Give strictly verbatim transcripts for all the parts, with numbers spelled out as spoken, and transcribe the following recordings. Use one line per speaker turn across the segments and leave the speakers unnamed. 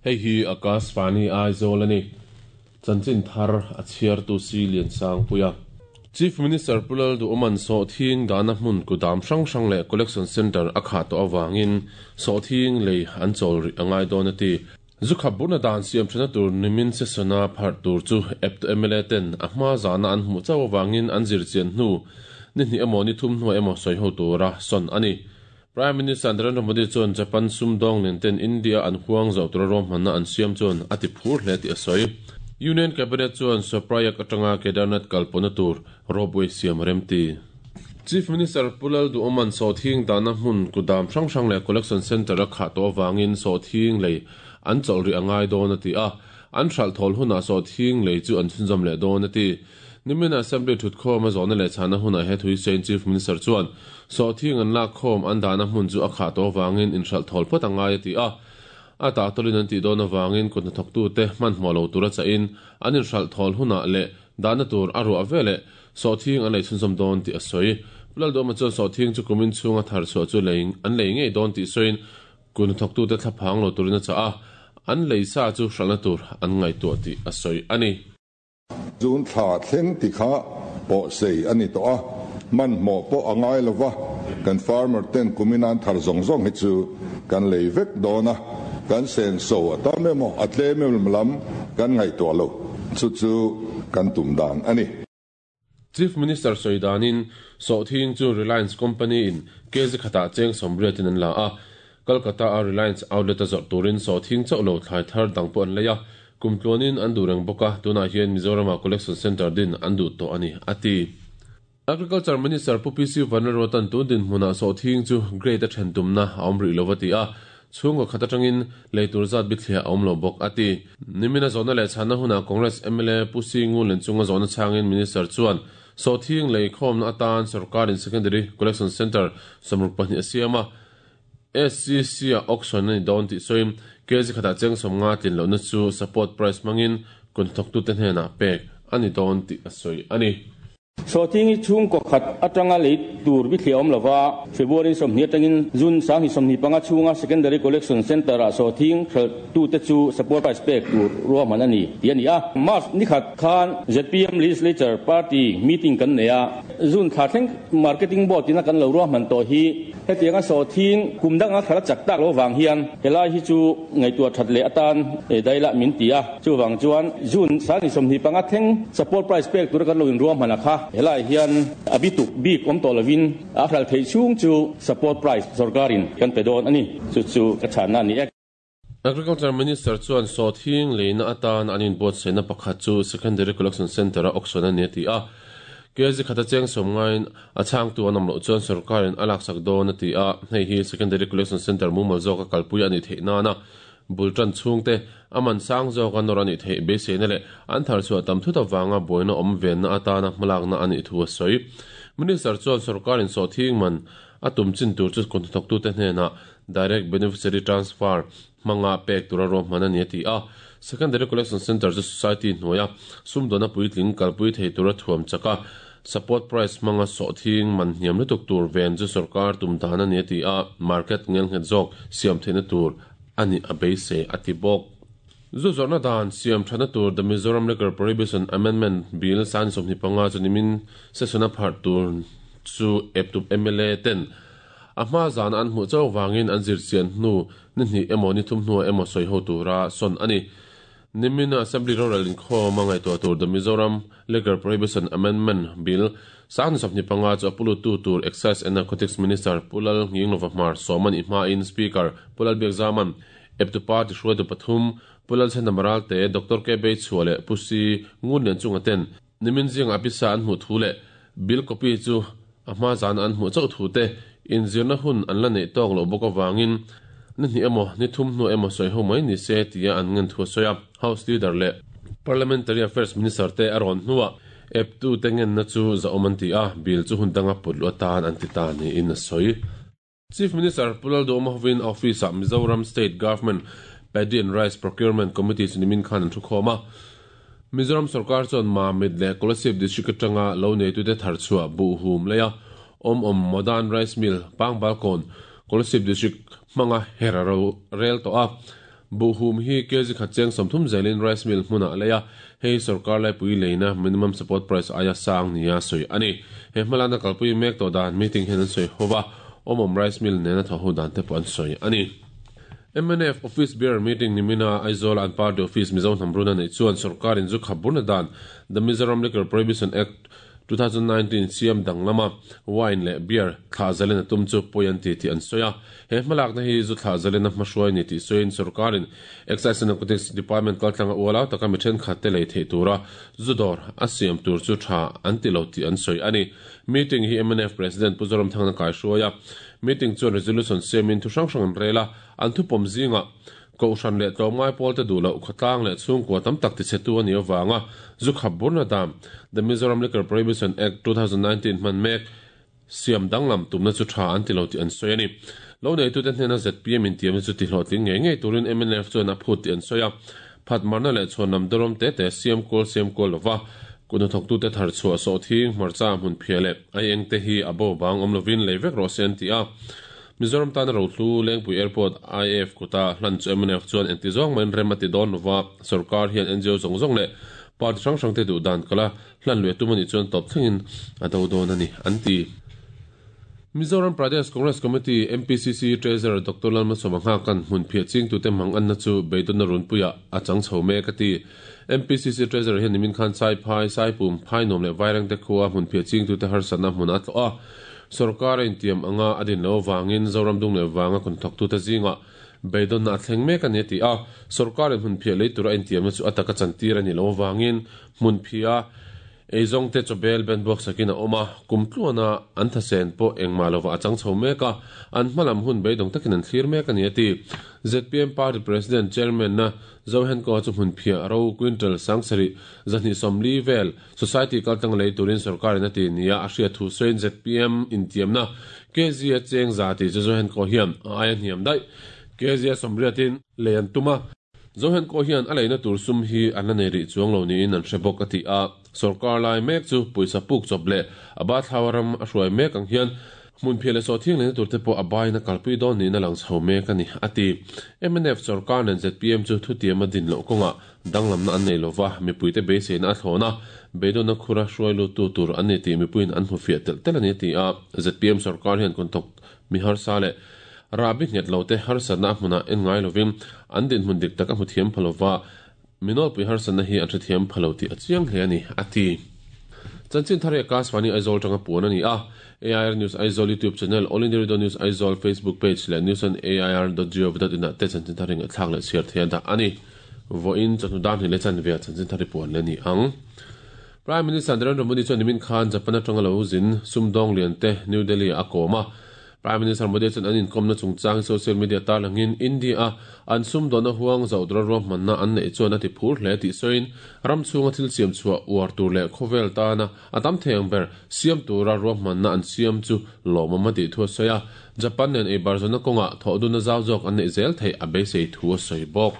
Hei hi Akashvani Aizawl a ni. Chanchin thar a chhiartu si Liansangpuia. Chief Minister Pu Lalduhoma'n sawhthing dahna hmun kudam hrang hrang leh collection centre a khah tawh avangin sawhthing lei an chawl rih a ngai dawn a ti. Zu khap burna dan siam thana tur nimin session-a pharh tur chu eptu M L A ten a hma zana an hmuh chauh avangin an zir chian hnu ni hnih emaw ni thum hnuah emaw sawi ho tura sawn a ni. Prime Minister Narendra Modi chuan Japan sumdawng nen ten India an huang zawh tura ruahmanna an siam chuan a ti phur hle tih a sawi. Union Cabinet chuan Sonprayag atanga Kedarnath kalpawhna tur ropeway siam rem ti. Chief Minister Pu Lalduhoma'n sawhthing dahna hmun kudam hrang hrang leh collection centre a khah tawh avangin sawhthing lei an chawlh rih a ngai dawn a ti a, an hralh thawl hunah sawhthing lei chu an chhunzawm leh dawn a ti. Nimin Assembly thutkhawm a zawhna leh chhana hunah he thui sawiin Chief Minister chuan sawhthing an lak khawm an dahna hmun chu a khah tawh avangin inhralh thawl phawt a ngai a ti a, a tahtawlin an tih dawn avangin kut hnathawktute hmanhmawh lo tura chahin an inhralh thawl hunah leh dahna tur a ruah veleh sawhthing an lei chhunzawm dawn tih a sawi. Pu Lalduhoma chuan sawhthing chu kumin chhunga thar chhuah chu lei an lei ngei dawn tih sawiin kut hnathawktute thlaphang lo turin a chah a, an lei sa chu hralhna tur an ngaihtuah tih a sawi a ni.
June thla thleng ti kha pawh sei a ni tawh a, hmanhmawh pawh a ngai lova, kan farmer ten kumin an thar zawng zawng hi chu kan lei vek dawn a, kan senso a tam emaw a tlem em lam kan ngaihtuah lo, chu chu kan tum dan a ni.
Chief Minister sawi danin sawhthing chu Reliance Company in kg khatah cheng sawmriatin an la a, Kolkata a Reliance outlet a zawrh turin sawhthing chauh lo thlai thar dang pawh an lei a, kum tluanin an duh reng bawk a, tunah hian Mizoram-ah collection centre din an duh tawh a ni, a ti. Agriculture Minister Pu P C Vanlalruata'n tun dinhmunah sawhthing chu grade a then tumna a awm rih lo a ti a, chhungkaw khat atangin lei tur zat bithliah a awm lo bawk a ti. Nimina zawhna leh chhanna hunah Congress M L A Pu C Ngun chunga zawhna chhangin Minister chuan sawhthing lei khawmna atan sarkarin secondary collection centre sawmruk pahnih a siam a, S C C a auction a ni dawn tih sawiin kg khatah cheng sawmnga tlin lohna chu support price hmangin kut hnathawktute hnenah pek a ni dawn tih a sawi a ni.
Sawhthing hi chhungkaw khat atanga lei tur bithliah awm lova, February sawmhnih atangin June sang sawmhnih panga chhunga secondary collection centre ah sawhthing hralh tu te chu support price pek tur ruahman a ni ti a ni a. March ni khat khan Z P M Legislature Party meeting kan nei a, June thla thleng marketing board ina kan lo ruahman tawh hi hetianga sawhthing kum danga khala chak tak lo wang hian helai hi chu ngaihtuah that leh atan daila min ti a, chuwang chuan June sang sawmhnih panga thleng support price pek tur kan lo in ruahman a kha helai hian abituk bik awm tawh lovin a hral thei chhung chu support price sarkarin kan pe dawn ani, chu chu ka chhanna ani e.
Agriculture Minister chuan sawhthing leina atan an inbuatsaihna pakhat chu secondary collection centre a auction a ni a ti a, kg khata cheng sawmngain a chhangtu an awm loh chuan sarkarin a laksak dawn a ti a, hei hi secondary collection centre mumal zawk a kalpui a ni theih nana bultan chhungte aman sang zawk a nawr a ni theih beiseina leh an thar chhuah tam thut awanga buaina awm venna atana hmalakna a nih thu a sawi. Minister chuan sarkarin sawhthing man a tum chin tur chu kut hnathawktute hnenah direct beneficiary transfer hmanga pek tura ruahman a ni a ti a, secondary collection centre chu society hnuaia sumdawna puitling kalpui thei tura thuam chaka support price hmanga sawhthing man hniam lutuk tur ven chu sarkar tum dan a ni a ti a, market ngel nghet zawk siam theihna tur ani a beisei a ti bawk. Zu zawrhna dan siam thana tur The Mizoram Liquor Prohibition Amendment Bill san sawmhnih panga chu nimin session a pharh tur chu eptu M L A ten a hma zan an hmuh chauh wangin an zir chian hnu ni hnih emaw ni thum hnuah emaw sawi ho tura sawn a ni. Nimin Assembly Rural inkhawm a ngaihtuah tur The Mizoram Liquor Prohibition Amendment Bill sang sawmhnih panga chu a pulutu tur Excise and Narcotics Minister Pu Lalnghinglova Hmar sawm a nih hmain Speaker Pu Lalbiakzama'n eptu party hruaitu pathum Pu Lalchhandama Ralte, Doctor K Beichhua leh Pu C Ngunlian chunga ten nimin zinga pisa an hmuh thu leh bill copy chu a hma zan an hmuh chauh thu te inzirna hun an la neih tawk loh bawk awangin ni hnih emaw ni thum hnu emaw sawi ho mai ni se tia an ngen thu a sawi a. House Leader leh Parliamentary Affairs Minister te a rawn hnuah eptu te ngenna chu za awm an ti a, bill chu hun danga put lu atan an ti ta niin a sawi. Chief Minister Pu Lalduhoma hovin office ah Mizoram State Government Paddy and Rice Procurement Committee chu nimin khan an thu khawm a. Mizoram sarkar chuan Mamit leh Kolasib district atanga lo neitute thar chhuah bu hum leia awm awm Modern Rice Mill Pangbalkawn Kolasib district hmanga hera ro rel tawh a. Buhum hi kg khat cheng somthum zelin rice mill hmuna leia hei sarkar lai pui leina minimum support price aya sang nia soi ani he hmalana kalpui mek to dan meeting hen an soi howa omom rice mill nena tho ho dan te pon soi ani. M N F office bearer meeting nimina Aizawl and party office Mizo Hnamruna nei chuan sarkar in zu khaburna dan the Mizoram Liquor Prohibition Act twenty nineteen siam danglama wine le beer thla zalena tum chu poyan ti ti an soya he hmalak na hi zu thla zalena hmahruai ni ti soin sarkarin Excise and Narcotics Department kaltlanga uala taka mi then khat te lei thei tura zudor asiam tur chu tha an ti lo ti an soi ani. Meeting hi M N F President Puzoram Thangna kai hruaia meeting chuan resolution siamin thu hrang hrang an rela an thu pawm zinga ko hran le tlawmngai pawl te duh loh khawtlang leh chhungkua tam tak ti che tu ani awanga zu khaburna dam the Mizoram Liquor Prohibition Act twenty nineteen hman mek siam danglam tumna chu tha an ti lo ti an sawi ani. Lo nei tu te hnena Z P M in tiam chu ti hlawhtling ngei ngei turin M N F chuan a phut ti an sawi a phat marna leh chhuan lam darawm te te siam kawl siam kawl lova kuna thok tu te thar chhuah sawh thing hmarcha hmun phia leh ai eng te hi a bo bang awm lovin lei vek rawh se an ti a. Mizoram tan ro thlu Lengpui Airport I F kota hlan chu M N F chuan engti zawng main rem ati dawn lova sarkar hian N G O zawng zawng leh party hrang hrang te duh dan kala hlan lui tum ani chuan tawp thlengin a do dawn ani an ti. Mizoram Pradesh Congress Committee M P C C Treasurer Doctor Lalmalsawma Nghakan hmun phia ching tu te mang an na chu beidon na runpuia a chang chho mek ati. M P C C Treasurer hian nimin khan sai phai sai pum phai nom leh vaireng te khuwa hmun phia ching tu te harsatna hmun a tlo a sarkar in tiam anga adin lo wangin Zoram dung le wanga kon thok tu te zinga beidon na thleng mek ani ti a sarkar in hmun phia lei tura in tiam chu ataka chantir ani lo wangin hmun phia eizong te chobel ben box sakina oma kumtluana an thasen po engma lova achang chho meka an hmalam hun beidong takin an thlir mek ani ati. Z P M Party President Chairman na Zohen ko chu hmun phia ro quintal sangsari zani somli vel society kaltang lei turin sarkar in ati nia a hria thu soin Z P M in tiam na K G a cheng zati chu Zohen ko hian a ayan hiam dai K G a somriatin leian tuma Zohen ko hian a leina tur sum hi an la nei ri chuang lo niin an hre bawk ati a sarkar lai mek chu puisa puk chawp leh a ba thlawaram a hruai mek ang hian hmun phia leh sawh thiang leina tur te pawh a baina kalpui dawn niin a lang chho mek ani ati. M N F sarkar nen Z P M chu thu tiam a din loh kawnga danglamna an nei lova mipuite beiseina a thlawna beidawna khura hruai lut tu tur an ni tih mipuiin an hmu fiah tel tel ani ti a. Z P M sarkar hian kun thawk mi harsa leh rabi nghet lo te harsatna hmuna en ngai lovin an din hmun dik tak a hmu thiam phalova minol pui harsatna hi an hrethiam phalo ti a chiang hle ani ati. Chanchin thar Akashvani Aizawl tanga puan ani a A I R News Aizawl YouTube channel, All India Radio News Aizawl Facebook page leh news on A I R dot gov dot in te chanchin thar ring thlak leh chhiar thei da ani. Voin chanu dan hi le chan ve chanchin thar puan le ni ang. Prime Minister Narendra Modi chuan nimin khan Japan atanga lo zin sumdawng lian te New Delhi a kawma Prime Minister Modi chuan an inkomna chungchang social media tarlangin India an sumdawna huang zaudra ruahmanna an nei chuan a ti phur hle tih sawiin ram chhunga thil siam chhuah uar tur leh khawvel tana a tam thei ber siam tura ruahmanna an siam chu lawmawm a tih thu a sawi a. Japan nen ei barzawna kawnga thawhduna zau zawk an nei zel thei a beisei thu a sawi bawk.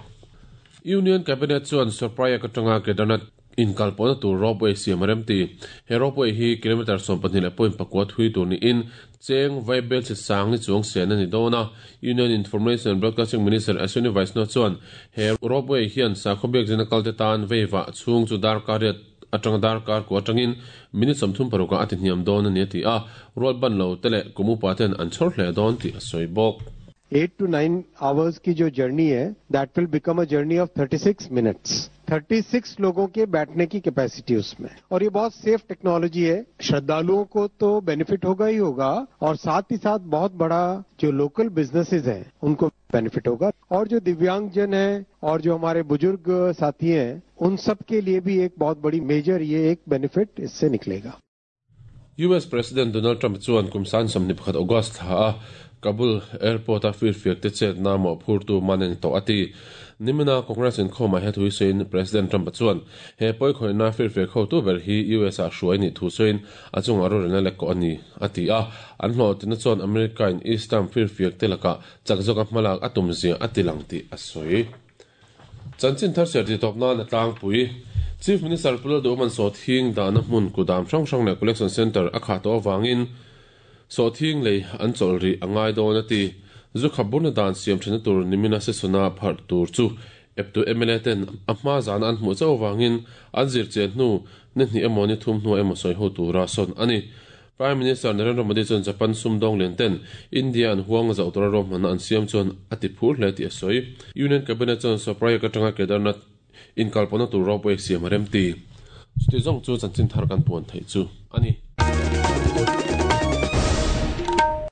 Union Cabinet chuan Surprayag atanga Kedarnath in kalpawna tur ropeway siam rem ti he ropeway hi kilometer sawm pahnih leh point pakua thui tur niin cheng vaibel che sang ni chuang sen ani dawna. Union Information and Broadcasting Minister Ashwini Vaishnaw chuan he ropeway hian sakhaw zina kalte tan veiwa chhung chu darkar riat atang darkar ku atangin minute sawmthum paruka ati hniam dawn ani ti a rual ban lo te leh kumupa ten an chhawr hle dawn tih a sawi bawk.
eight to nine hours की जो journey है that will become a journey of thirty-six minutes. thirty-six लोगों के बैठने की capacity उसमें, और ये बहुत सेफ टेक्नोलॉजी है। श्रद्धालुओं को तो बेनिफिट होगा ही होगा, और साथ ही साथ बहुत बड़ा जो लोकल बिजनेसेस हैं उनको बेनिफिट होगा, और जो दिव्यांगजन हैं और जो हमारे बुजुर्ग साथी हैं उन सब के लिए भी एक बहुत बड़ी मेजर ये एक बेनिफिट इससे निकलेगा।
U S President Donald Trump chuan kumsan samni pakhat August tha Kabul airport a fir fiak te chet na mo phur tu manen to ati nimina Congress in khoma he thui sein President Trump chuan he poi khoi na fir fiak ho tu ber hi U S a hruai ni thu sein achung aro rena le ko ani ati a an hlo tin chuan America in Eastern fir fiak te laka chakjok a hmalak atum zia atilang ti asoi chanchin thar ser ti top na na tlang pui Chief Minister Pulal Duman so thing da na hmun kudam hrang hrang le collection center a kha to wangin so thing lei an chol ri angai don ati Zu khaburna dan siam thena tur nimina sesona phar tur chu eptu M L A ten a hma zan an hmu chau wangin an zir chen hnu ni hni emaw ni thum hnu emaw sawi ho tura son ani. Prime Minister Narendra Modi chuan Japan sumdawng lian ten India an huang zau tura rom hman an siam chuan ati phur hle ti a sawi. Union Cabinet chuan Sonprayag atanga Kedarnath inkalpawna tur ropeway siam rem ti. Chuti zawng chu chanchin thar kan puan thei chu ani.